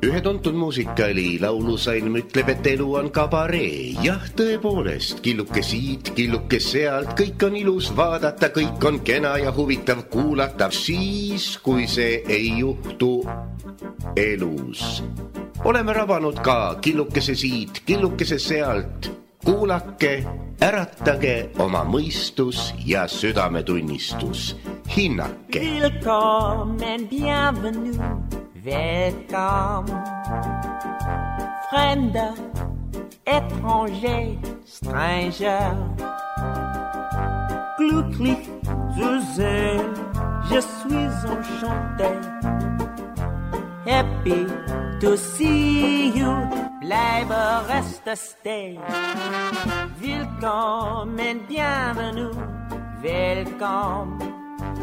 Ühe tuntud muusikali laulusalm ütleb, et elu on kabaree. Jah, tõepoolest, killuke siit, killuke sealt, kõik on ilus vaadata, kõik on kena ja huvitav kuulata. Siis, kui see ei juhtu elus. Oleme rabanud ka killukese siit, killukese sealt. Kuulake, äratage oma mõistus ja südametunnistus. Hinnake. Willkommen, bienvenue, welcome. Fremder, étranger, stranger. Glücklich zu sehen, je suis enchanté. Happy to see you, bleibe reste stay. Willkommen, bienvenue, welcome.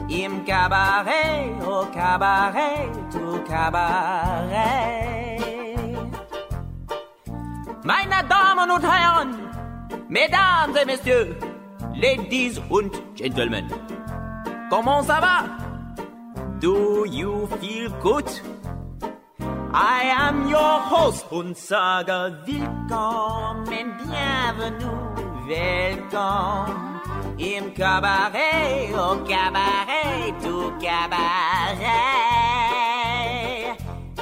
Im Cabaret, au Cabaret, au Cabaret. Meine Damen und Herren, Mesdames et Messieurs, Ladies und Gentlemen, comment ça va? Do you feel good? I am your host und sage willkommen, bienvenue, welcome. Im Cabaret, au Cabaret, au Cabaret.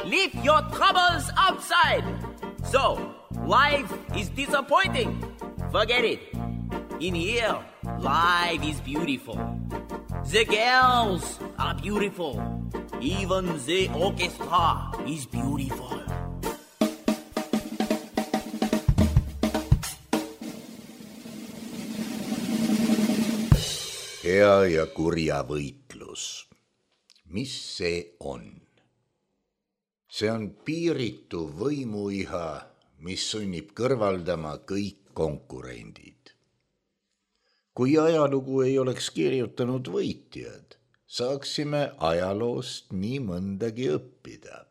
Leave your troubles outside. So, life is disappointing. Forget it. In here, life is beautiful. The girls are beautiful. Even the orchestra is beautiful. Hea ja kurja võitlus. Mis see on? See on piiritu võimuiha, mis sunnib kõrvaldama kõik konkurendid. Kui ajalugu ei oleks kirjutanud võitjad, saaksime ajaloost nii mõndagi õppida.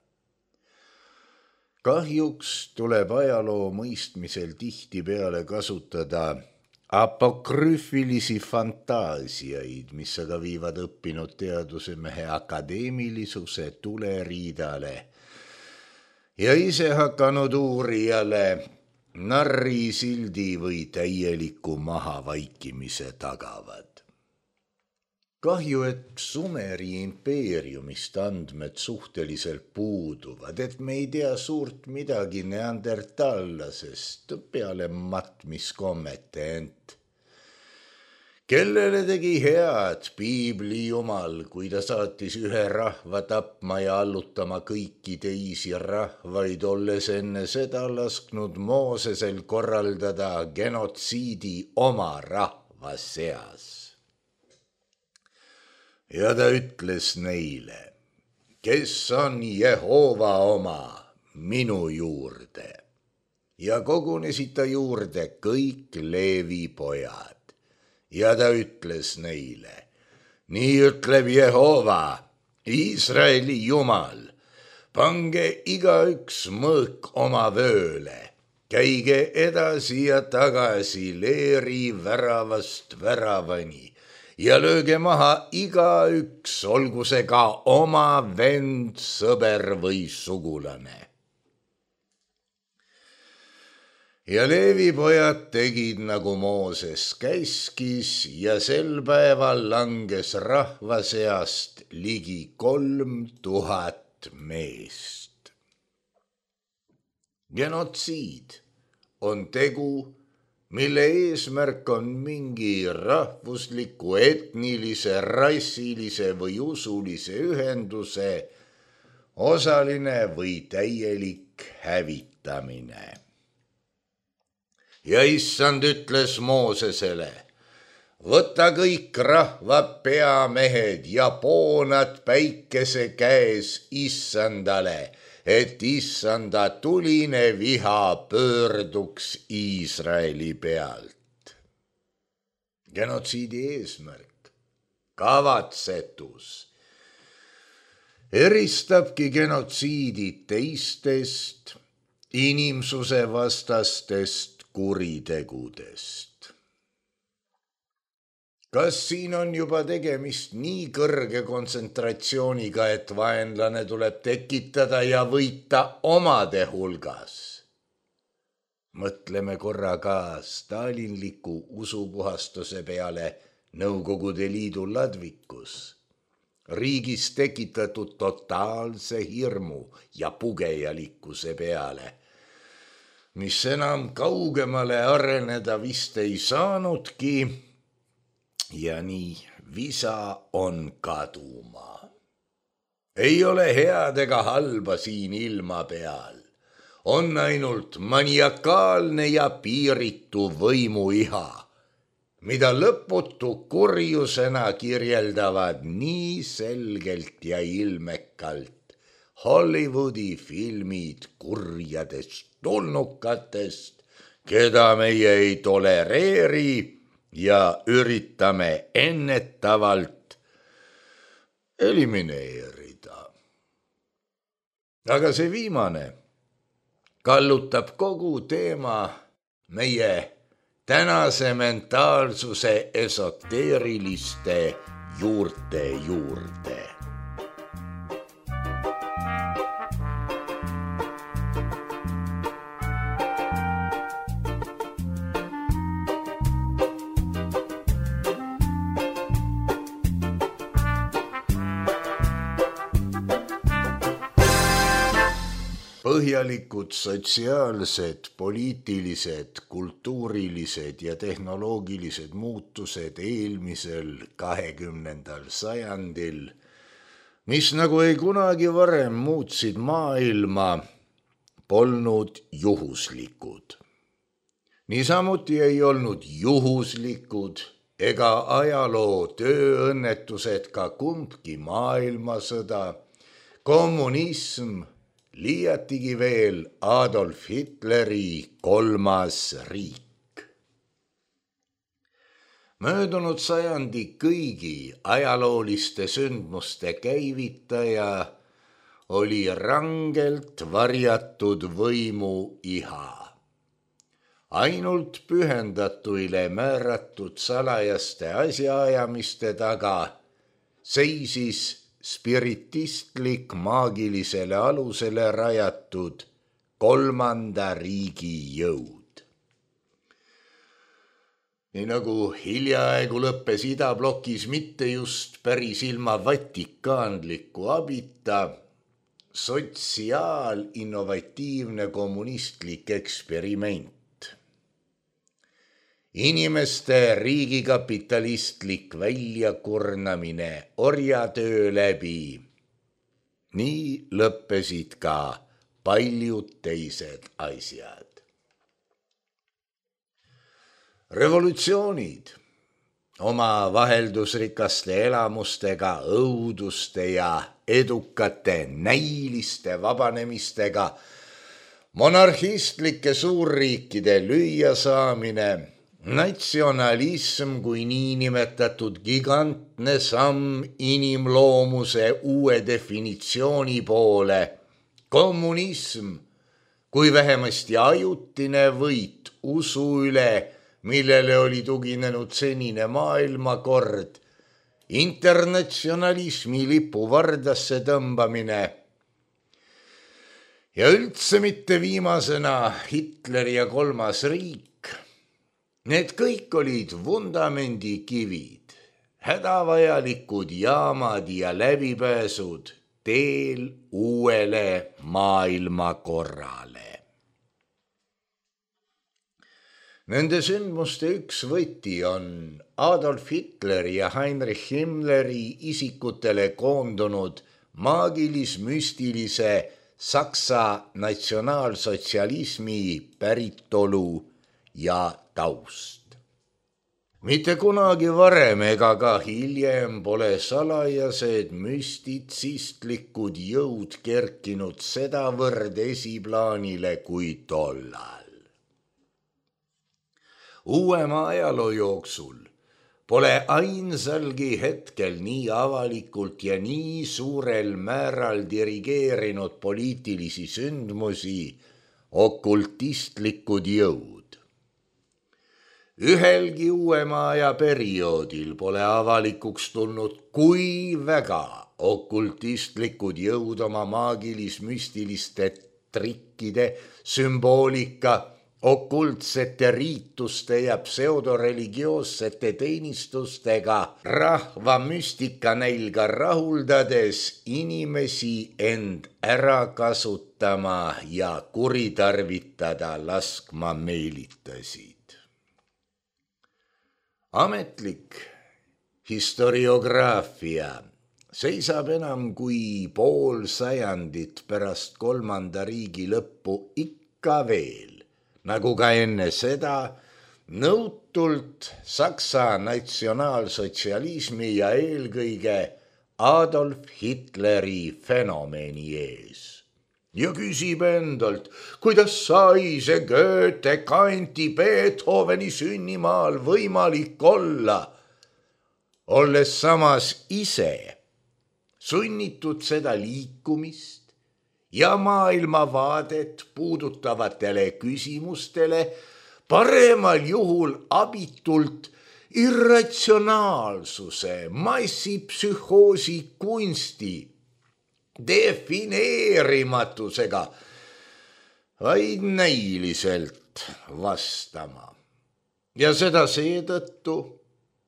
Kahjuks tuleb ajaloo mõistmisel tihtipeale kasutada apokrüüfilisi fantaasiaid, mis aga viivad õppinud teadusemehe akadeemilisuse tuleriidale ja ise hakanud uurijale narrisildi või täieliku mahavaikimise tagavad. Kahju, et Sumeri impeeriumist andmed suhteliselt puuduvad, et me ei tea suurt midagi neandertallasest peale matmiskommete ent. Kellele tegi head piibli jumal, kui ta saatis ühe rahva tapma ja allutama kõiki teisi rahvaid, olles enne seda lasknud Moosesel korraldada genotsiidi oma rahva seas. Ja ta ütles neile, kes on Jehova oma, minu juurde. Ja kogunesid ta juurde kõik Leevi pojad. Ja ta ütles neile, nii ütleb Jehova, Iisraeli jumal, pange igaüks mõõk oma vööle, käige edasi ja tagasi leeri väravast väravani, ja lööge maha igaüks, olgu see ka oma vend, sõber või sugulane. Ja Leevi pojad tegid, nagu Mooses käskis, ja sel päeval langes rahva seast ligi 3000 meest. Genotsiid on tegu, mille eesmärk on mingi rahvusliku, etnilise, rassilise või usulise ühenduse osaline või täielik hävitamine. Ja issand ütles Moosesele, võta kõik rahva peamehed ja poonad päikese käes issandale, et issanda tuline viha pöörduks Iisraeli pealt. Genotsiidi eesmärk, kavatsetus, eristabki genotsiidi teistest inimsuse vastastest kuritegudest. Kas siin on juba tegemist nii kõrge kontsentratsiooniga, et vaenlane tuleb tekitada ja võita omade hulgas? Mõtleme korra ka stalinliku usupuhastuse peale Nõukogude Liidu ladvikus, riigis tekitatud totaalse hirmu ja pugejalikkuse peale, mis enam kaugemale areneda vist ei saanudki ja nii visa on kaduma. Ei ole head ega halba siin ilma peal, on ainult maniakaalne ja piiritu võimuiha, mida lõputu kurjusena kirjeldavad nii selgelt ja ilmekalt Hollywoodi filmid kurjadest tulnukatest, keda meie ei tolereeri ja üritame ennetavalt elimineerida. Aga see viimane kallutab kogu teema meie tänase mentaalsuse esoteeriliste juurte juurde. Põhjalikud sotsiaalsed, poliitilised, kultuurilised ja tehnoloogilised muutused eelmisel 20. sajandil, mis nagu ei kunagi varem muutsid maailma, polnud juhuslikud. Niisamuti ei olnud juhuslikud ega ajaloo tööõnnetused ka kumbki maailmasõda, kommunism, liiatigi veel Adolf Hitleri 3. riik. Möödunud sajandi kõigi ajalooliste sündmuste käivitaja oli rangelt varjatud võimu iha. Ainult pühendatuile määratud salajaste asjaajamiste taga seisis spiritistlik maagilisele alusele rajatud 3. riigi jõud. Nii nagu hiljaaegu lõppes idablokis mitte just päris ilma vatikaanliku abita sotsiaalinnovatiivne kommunistlik eksperiment. Inimeste riigikapitalistlik väljakurnamine orjatöö läbi. Nii lõppesid ka paljud teised asjad. Revolutsioonid oma vaheldusrikaste elamustega, õuduste ja edukate näiliste vabanemistega, monarhistlike suurriikide lüüasaamine, natsionalism kui niinimetatud gigantne samm inimloomuse uue definitsiooni poole, kommunism kui vähemasti ajutine võit usu üle, millele oli tuginenud senine maailmakord, internatsionalismi lipu vardasse tõmbamine ja üldse mitte viimasena Hitleri ja 3. riik. Need kõik olid vundamendikivid, hädavajalikud jaamad ja läbipääsud teel uuele maailmakorrale. Nende sündmuste üks võti on Adolf Hitleri ja Heinrich Himmleri isikutele koondunud maagilis-müstilise Saksa natsionaalsotsialismi päritolu ja taust. Mitte kunagi varem ega ka hiljem pole salajased müstitsistlikud jõud kerkinud sedavõrd esiplaanile kui tollal. Uuema ajaloo jooksul pole ainsalgi hetkel nii avalikult ja nii suurel määral dirigeerinud poliitilisi sündmusi okultistlikud jõud. Ühelgi uuema aja perioodil pole avalikuks tulnud, kui väga okultistlikud jõud oma maagilis-müstiliste trikkide, sümboolika, okultsete riituste ja pseudoreligioossete teenistustega rahva müstika nälga rahuldades inimesi end ära kasutama ja kuritarvitada laskma meelitasid. Ametlik historiograafia seisab enam kui pool sajandit pärast kolmanda riigi lõppu ikka veel, nagu ka enne seda, nõutult Saksa natsionaalsotsialismi ja eelkõige Adolf Hitleri fenomeni ees. Ja küsib endalt, kuidas sai see Goethe, Kanti, Beethoveni sünnimaal võimalik olla, olles samas ise sunnitud seda liikumist ja maailmavaadet puudutavatele küsimustele paremal juhul abitult irratsionaalsuse, massipsühhoosi kunsti defineerimatusega vaid näiliselt vastama. Ja seda seetõttu,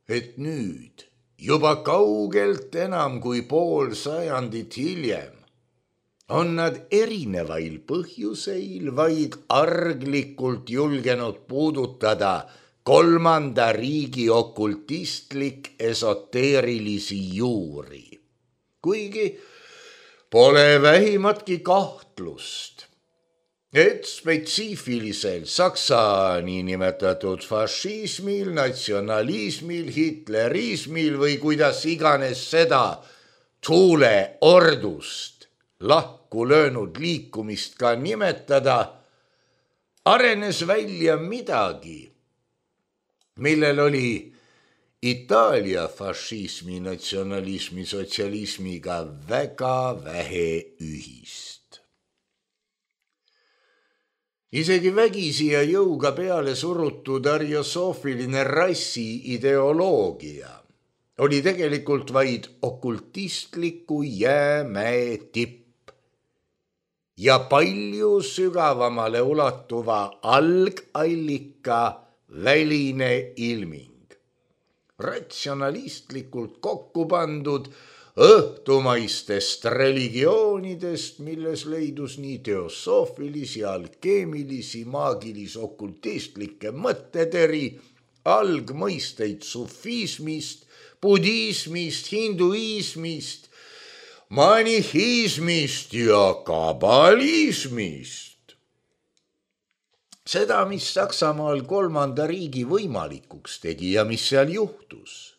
et nüüd juba kaugelt enam kui pool sajandit hiljem on nad erinevail põhjuseil vaid arglikult julgenud puudutada kolmanda riigi okultistlik esoteerilisi juuri. Kuigi pole vähimatki kahtlust, et spetsiifilisel Saksa niinimetatud fašismil, natsionalismil, hitlerismil või kuidas iganes seda tuuleordust lahku löönud liikumist ka nimetada, arenes välja midagi, millel oli Itaalia fašismi, natsionalismi, sotsialismiga väga vähe ühist. Isegi vägisi ja jõuga peale surutud ariosoofiline rassi ideoloogia oli tegelikult vaid okultistliku jäämäe tipp ja palju sügavamale ulatuva algallika väline ilming. Ratsionalistlikult kokku pandud õhtumaistest religioonidest, milles leidus nii teosoofilisi, alkeemilisi, maagilis-okultistlikke mõtteteri, algmõisteid sufismist, budismist, hinduismist, manihismist ja kabalismist. Seda, mis Saksamaal kolmanda riigi võimalikuks tegi ja mis seal juhtus,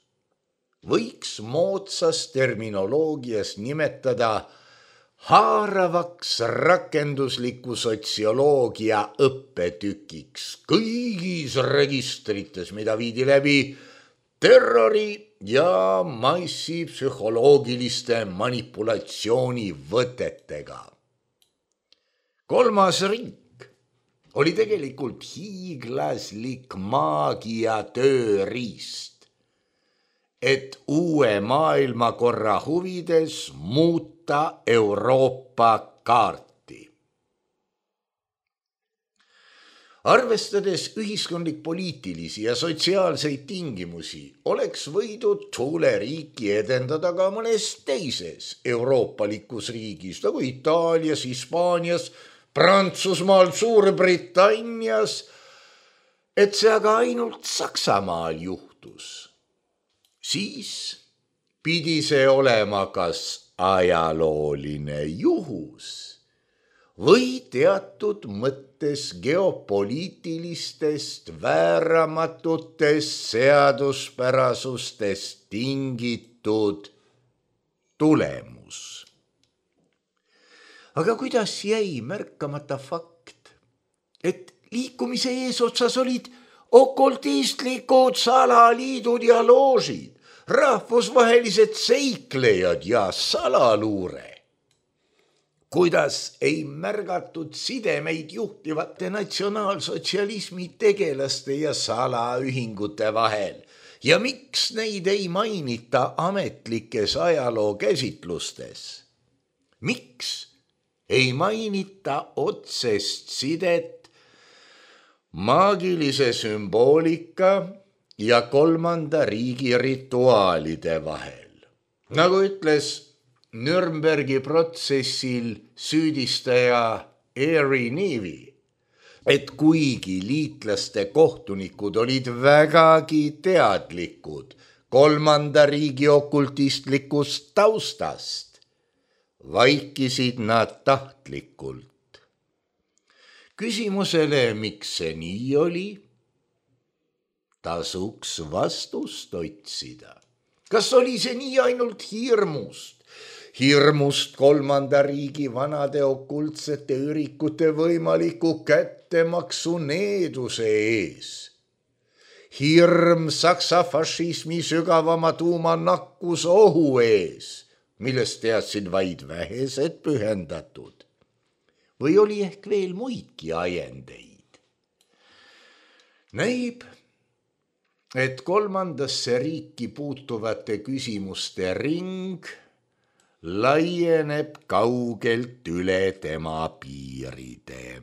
võiks moodsas terminoloogias nimetada haaravaks rakendusliku sotsioloogia õppetükiks kõigis registrites, mida viidi läbi terrori ja massipsühholoogiliste manipulatsioonivõtetega. Kolmas riik oli tegelikult hiiglaslik maagia tööriist, et uue maailmakorra huvides muuta Euroopa kaarti. Arvestades ühiskondlik-poliitilisi ja sotsiaalseid tingimusi, oleks võidud tuuleriiki edendada ka mõnes teises euroopalikus riigis, nagu Itaalias, Hispaanias, Prantsusmaal, Suurbritannias, et see aga ainult Saksamaal juhtus. Siis pidi see olema kas ajalooline juhus või teatud mõttes geopoliitilistest vääramatutest seaduspärasustest tingitud tulemus. Aga kuidas jäi märkamata fakt, et liikumise eesotsas olid okultistlikud salaliidud ja loožid, rahvusvahelised seiklejad ja salaluure? kuidas ei märgatud sidemeid juhtivate natsionaalsotsialismi tegelaste ja salaühingute vahel ja miks neid ei mainita ametlikes ajaloo käsitlustes? Miks ei mainita otsest sidet maagilise sümboolika ja kolmanda riigi rituaalide vahel? Nagu ütles Nürnbergi protsessil süüdistaja Eri Nevi, et kuigi liitlaste kohtunikud olid vägagi teadlikud kolmanda riigi okultistlikust taustast, vaikisid nad tahtlikult. Küsimusele, miks see nii oli, tasuks vastust otsida. Kas oli see nii ainult hirmust kolmanda riigi vanade okultsete ürikute võimaliku kättemaksu needuse ees? Hirm saksa fašismi sügavama tuuma nakkusohu ees, millest teadsid vaid vähesed pühendatud? Või oli ehk veel muidki ajendeid? Näib, et kolmandasse riiki puutuvate küsimuste ring laieneb kaugelt üle tema piiride.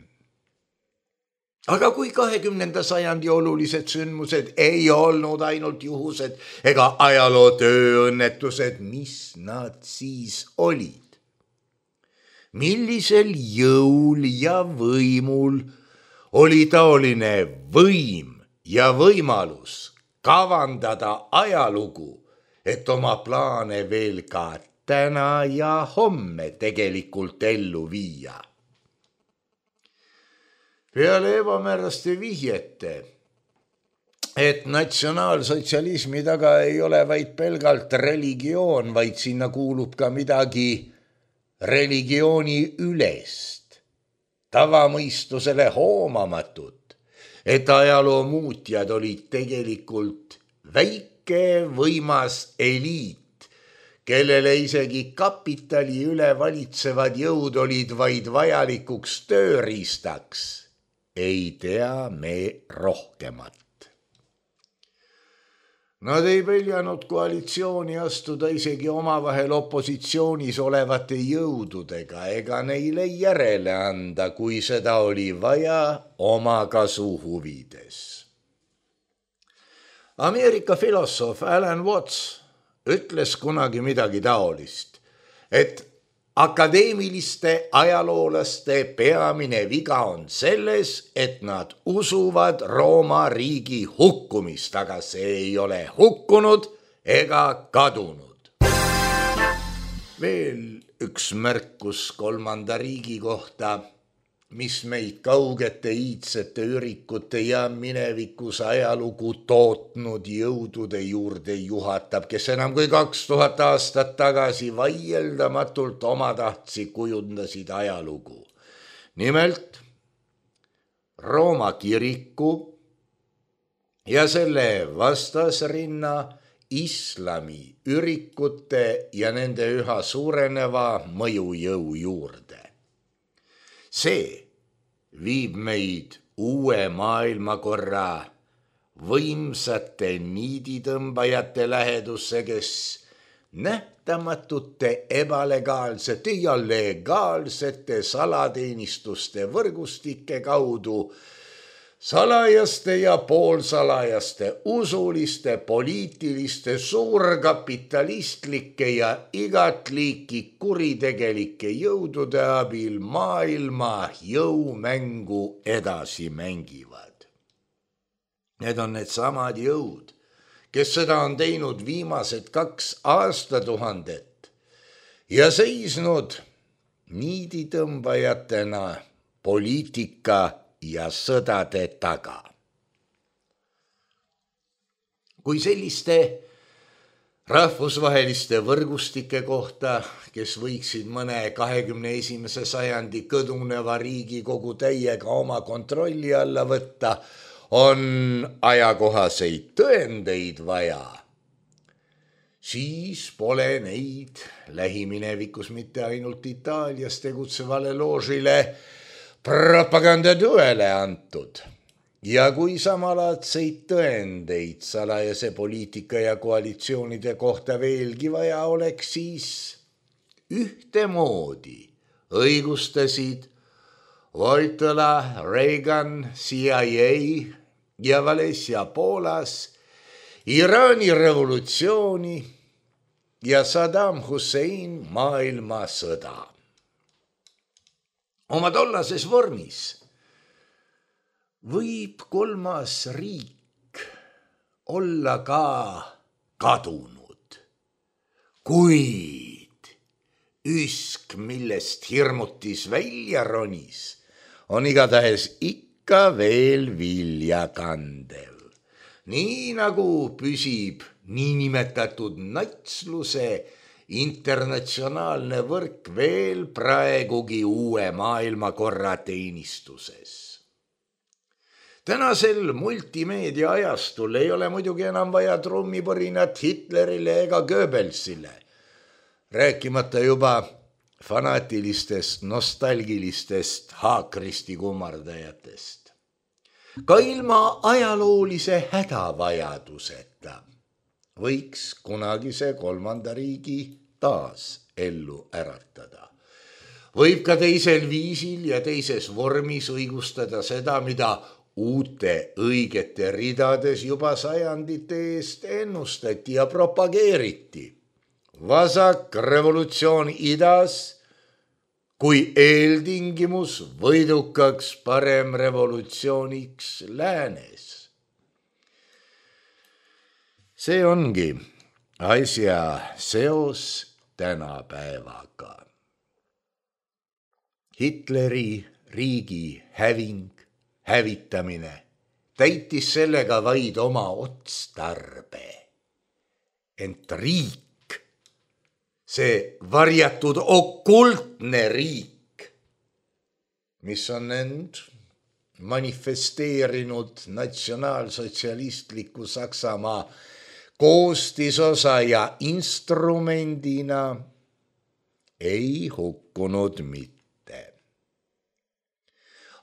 Aga kui 20. sajandi olulised sündmused ei olnud ainult juhused ega ajaloo tööõnnetused, mis nad siis olid? Millisel jõul ja võimul oli taoline võim ja võimalus kavandada ajalugu, et oma plaane veel ka täna ja homme tegelikult ellu viia? Peale ebamääraste vihjete, et natsionaalsotsialismi taga ei ole vaid pelgalt religioon, vaid sinna kuulub ka midagi religiooni ülest, tavamõistusele hoomamatut, et ajaloo muutjad olid tegelikult väike võimas eliit, kellele isegi kapitali üle valitsevad jõud olid vaid vajalikuks tööriistaks. Ei tea me rohkemat. Nad ei peljanud koalitsiooni astuda isegi omavahel opositsioonis olevate jõududega ega neile järele anda, kui seda oli vaja oma kasu huvides. Ameerika filosoof Alan Watts ütles kunagi midagi taolist, et akadeemiliste ajaloolaste peamine viga on selles, et nad usuvad Rooma riigi hukkumist, aga see ei ole hukkunud ega kadunud. Veel üks märkus kolmanda riigi kohta, mis meid kaugete iidsete ürikute ja minevikus ajalugu tootnud jõudude juurde juhatab, kes enam kui 2000 aastat tagasi vaieldamatult omatahtsi kujundasid ajalugu. Nimelt Rooma kiriku ja selle vastasrinna islami ürikute ja nende üha suureneva mõjujõu juurde. See viib meid uue maailmakorra võimsate niiditõmbajate lähedusse, kes nähtamatute ebalegaalsete ja legaalsete salateenistuste võrgustike kaudu salajaste ja poolsalajaste, usuliste, poliitiliste, suurkapitalistlike ja igat liiki kuritegelike jõudude abil maailma jõumängu edasi mängivad. Need on needsamad jõud, kes seda on teinud viimased 2 aastatuhandet ja seisnud niiditõmbajatena poliitika ja sõdade taga. Kui selliste rahvusvaheliste võrgustike kohta, kes võiksid mõne 21. sajandi kõduneva Riigikogu täiega oma kontrolli alla võtta, on ajakohaseid tõendeid vaja, siis pole neid lähiminevikus mitte ainult Itaalias tegutsevale loožile propagandatõele antud. Ja kui samalaadseid tõendeid salajase poliitika ja koalitsioonide kohta veelgi vaja oleks, siis ühtemoodi õigustasid Wojtyła, Reagan, CIA ja Valencia Poolas Iraani revolutsiooni ja Saddam Hussein maailmasõda. Oma tollases vormis võib kolmas riik olla ka kadunud, kuid üsk, millest hirmutis välja ronis, on igatahes ikka veel vilja kandev. Nii nagu püsib niinimetatud natsluse internatsionaalne võrk veel praegugi uue maailmakorra teenistuses. Tänasel multimeedia ajastul ei ole muidugi enam vaja trummipõrinat Hitlerile ega Goebbelsile, rääkimata juba fanaatilistest, nostalgilistest haakristi kummardajatest. Ka ilma ajaloolise hädavajaduseta võiks kunagise kolmanda riigi taas ellu äratada. Võib ka teisel viisil ja teises vormis õigustada seda, mida uute õigete ridades juba sajandite eest ennustati ja propageeriti. Vasak revolutsioon idas kui eeltingimus võidukaks parem revolutsiooniks läänes. See ongi asja seos tänapäevaga. Hitleri riigi hävitamine täitis sellega vaid oma otstarbe. Ent riik, see varjatud okultne riik, mis on end manifesteerinud natsionaalsotsialistliku Saksamaa koostisosa ja instrumendina, ei hukkunud mitte.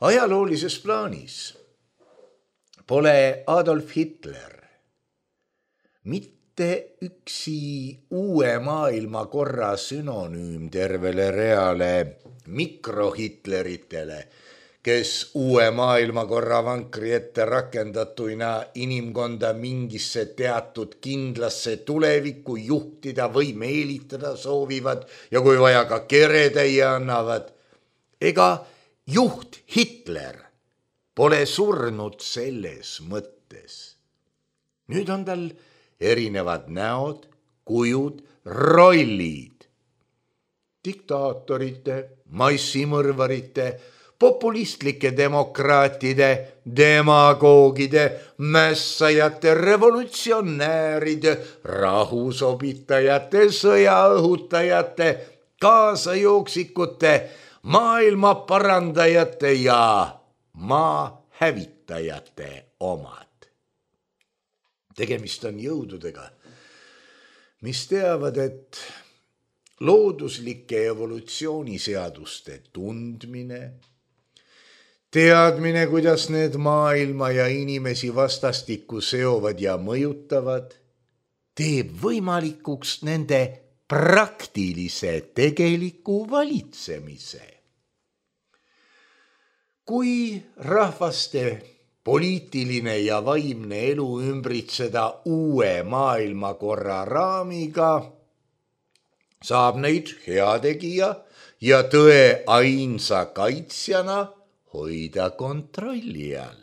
Ajaloolises plaanis pole Adolf Hitler mitte üksi uue maailmakorra sünonüüm tervele reale mikrohitleritele, kes uue maailmakorra vankri ette rakendatuina inimkonda mingisse teatud kindlasse tulevikku juhtida või meelitada soovivad ja kui vaja ka keretäie annavad. Ega juht Hitler pole surnud selles mõttes. Nüüd on tal erinevad näod, kujud, rollid. Diktaatorite, massimõrvarite, populistlike demokraatide, demagoogide, mässajate, revolutsionääride, rahusobitajate, sõjaõhutajate, kaasajooksikute, maailma parandajate ja maa hävitajate omad. Tegemist on jõududega, mis teavad, et looduslike evolutsiooniseaduste tundmine, teadmine, kuidas need maailma ja inimesi vastastikku seovad ja mõjutavad, teeb võimalikuks nende praktilise tegeliku valitsemise. Kui rahvaste poliitiline ja vaimne elu ümbritseda uue maailmakorra raamiga, saab neid heategija ja tõe ainsa kaitsjana hoida kontrolli all.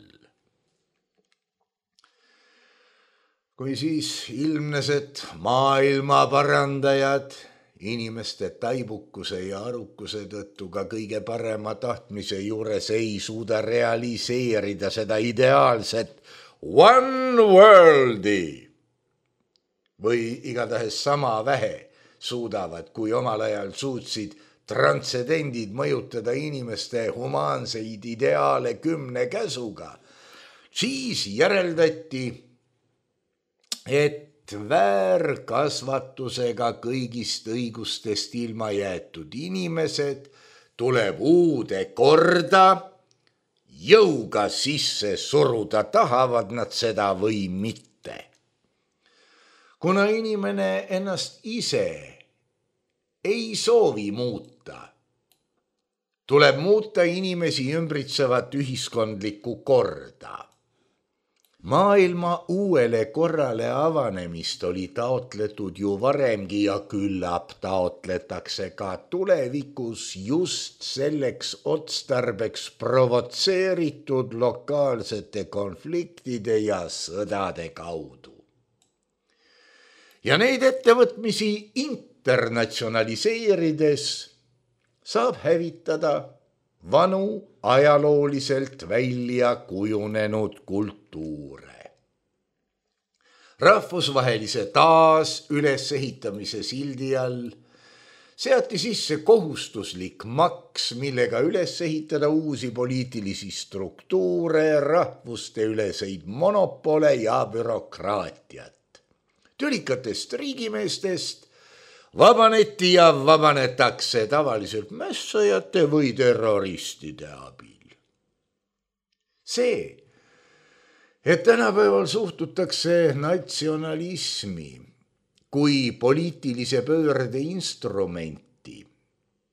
Kui siis ilmnes, et maailma parandajad inimeste taibukuse ja arukuse tõttu ka kõige parema tahtmise juures ei suuda realiseerida seda ideaalset one worldi või igatahes sama vähe suudavad, kui omal ajal suutsid transcendendid mõjutada inimeste humaanseid ideaale 10 käsuga, siis järeldati, et väärkasvatusega kõigist õigustest ilma jäetud inimesed tuleb uude korda jõuga sisse suruda, tahavad nad seda või mitte. Kuna inimene ennast ise ei soovi muuta, tuleb muuta inimesi ümbritsevat ühiskondlikku korda. Maailma uuele korrale avanemist oli taotletud ju varemgi ja küllap taotletakse ka tulevikus just selleks otstarbeks provotseeritud lokaalsete konfliktide ja sõdade kaudu. Ja neid ettevõtmisi internatsionaliseerides saab hävitada vanu ajalooliselt välja kujunenud kultuure. Rahvusvahelise taasülesehitamise sildi all seati sisse kohustuslik maks, millega üles ehitada uusi poliitilisi struktuure, rahvuste üleseid monopole ja bürokraatiat. Tülikatest riigimeestest vabaneti ja vabanetakse tavaliselt mässajate või terroristide abil. See, et tänapäeval suhtutakse natsionalismi kui poliitilise pöörde instrumenti,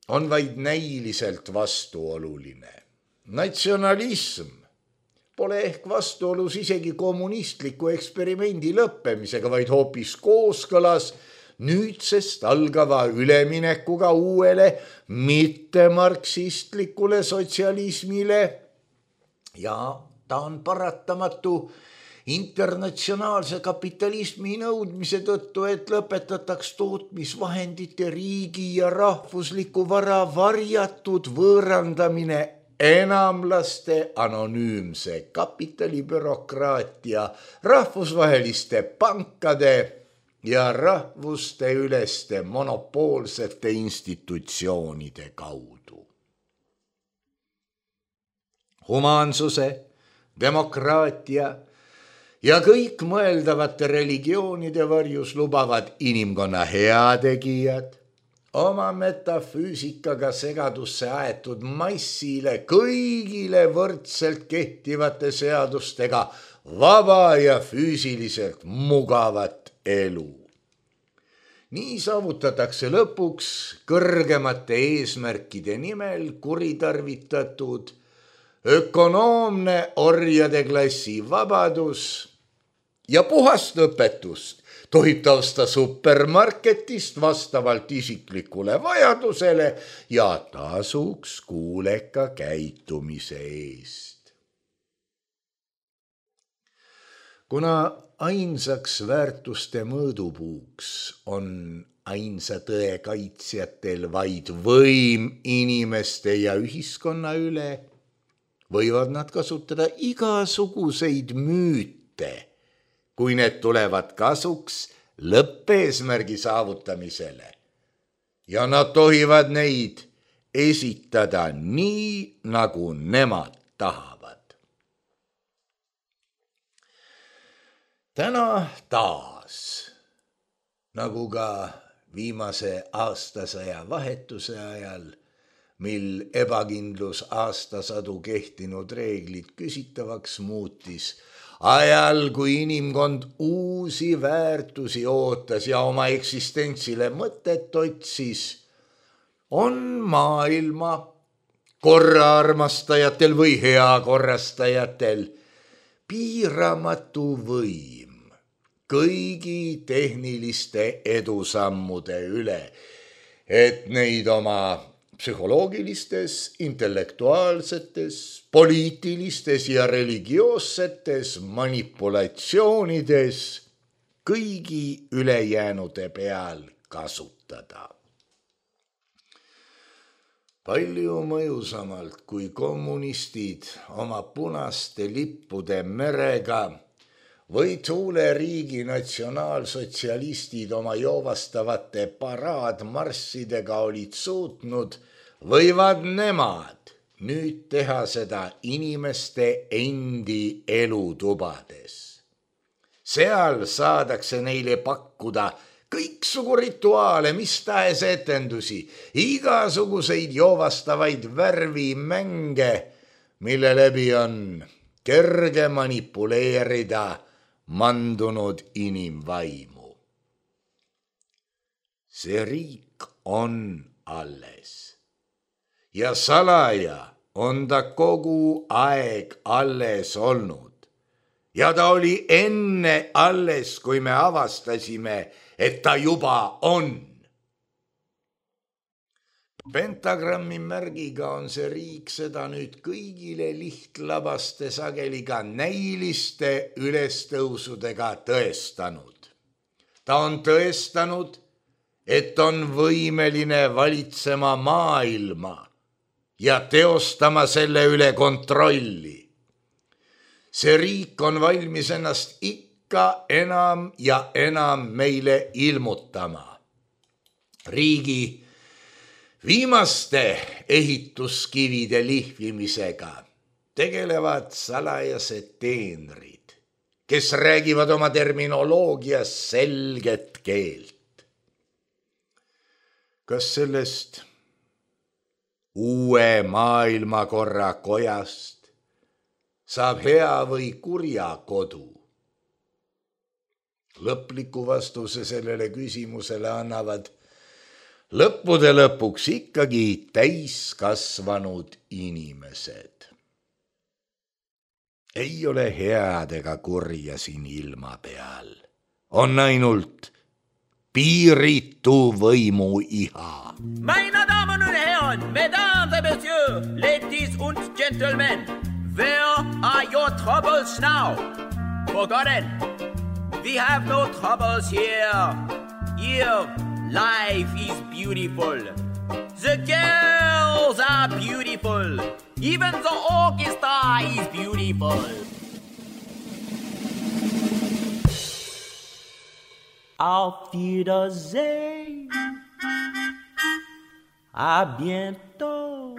on vaid näiliselt vastuoluline. Natsionalism pole ehk vastuolus isegi kommunistliku eksperimendi lõppemisega, vaid hoopis kooskõlas nüüdsest algava üleminekuga uuele mittemarksistlikule sotsialismile ja ta on paratamatu internatsionaalse kapitalismi nõudmise tõttu, et lõpetataks tootmisvahendite riigi ja rahvusliku vara varjatud võõrandamine enamlaste anonüümse kapitalibürokraatia, rahvusvaheliste pankade ja rahvuste üleste monopoolsete institutsioonide kaudu. Humaansuse, demokraatia ja kõik mõeldavate religioonide varjus lubavad inimkonna heategijad oma metafüüsikaga segadusse aetud massile kõigile võrdselt kehtivate seadustega vaba ja füüsiliselt mugavat elu. Nii saavutatakse lõpuks kõrgemate eesmärkide nimel kuritarvitatud ökonoomne orjade klassi vabadus ja puhast õpetust tohib ta osta supermarketist vastavalt isiklikule vajadusele ja tasuks kuuleka käitumise eest. Kuna ainsaks väärtuste mõõdupuuks on ainsa tõe kaitsjatel vaid võim inimeste ja ühiskonna üle, võivad nad kasutada igasuguseid müüte, kui need tulevad kasuks lõppeesmärgi saavutamisele. Ja nad tohivad neid esitada nii, nagu nemad tahavad. Täna taas, nagu ka viimase aastasaja vahetuse ajal, mil ebakindlus aastasadu kehtinud reeglid küsitavaks muutis, ajal, kui inimkond uusi väärtusi ootas ja oma eksistentsile mõtet otsis, on maailma korraarmastajatel või heakorrastajatel piiramatu võim kõigi tehniliste edusammude üle, et neid oma psühholoogilistes, intellektuaalsetes, poliitilistes ja religioossetes manipulatsioonides kõigi ülejäänude peal kasutada. Palju mõjusamalt kui kommunistid oma punaste lippude merega või tuuleriigi natsionaalsotsialistid oma joovastavate paraadmarssidega olid suutnud, võivad nemad nüüd teha seda inimeste endi elutubades. seal saadakse neile pakkuda kõiksugu rituaale, mis tahes etendusi, igasuguseid joovastavaid värvimänge, mille läbi on kerge manipuleerida mandunud inimvaimu. See riik on alles ja salaja on ta kogu aeg alles olnud. Ja ta oli enne alles, kui me avastasime, et ta juba on. Pentagrammi märgiga on see riik seda nüüd kõigile lihtlabaste sageli ka näiliste ülestõusudega tõestanud. Ta on tõestanud, et on võimeline valitsema maailma ja teostama selle üle kontrolli. See riik on valmis ennast ikka enam ja enam meile ilmutama. Riigi viimaste ehituskivide lihvimisega tegelevad salajased teenrid, kes räägivad oma terminoloogias selget keelt. Kas sellest uue maailmakorra kojast saab hea või kurja kodu? Lõpliku vastuse sellele küsimusele annavad lõppude lõpuks ikkagi täiskasvanud inimesed. Ei ole head ega kurja siin ilma peal. On ainult piiritu võimu iha. Meine Damen und Herren, Mesdames et Messieurs, Ladies und Gentlemen, where are your troubles now? Forgotten. We have no troubles here. Here, life is beautiful. The girls are beautiful. Even the orchestra is beautiful. Auf Wiedersehen. À bientôt.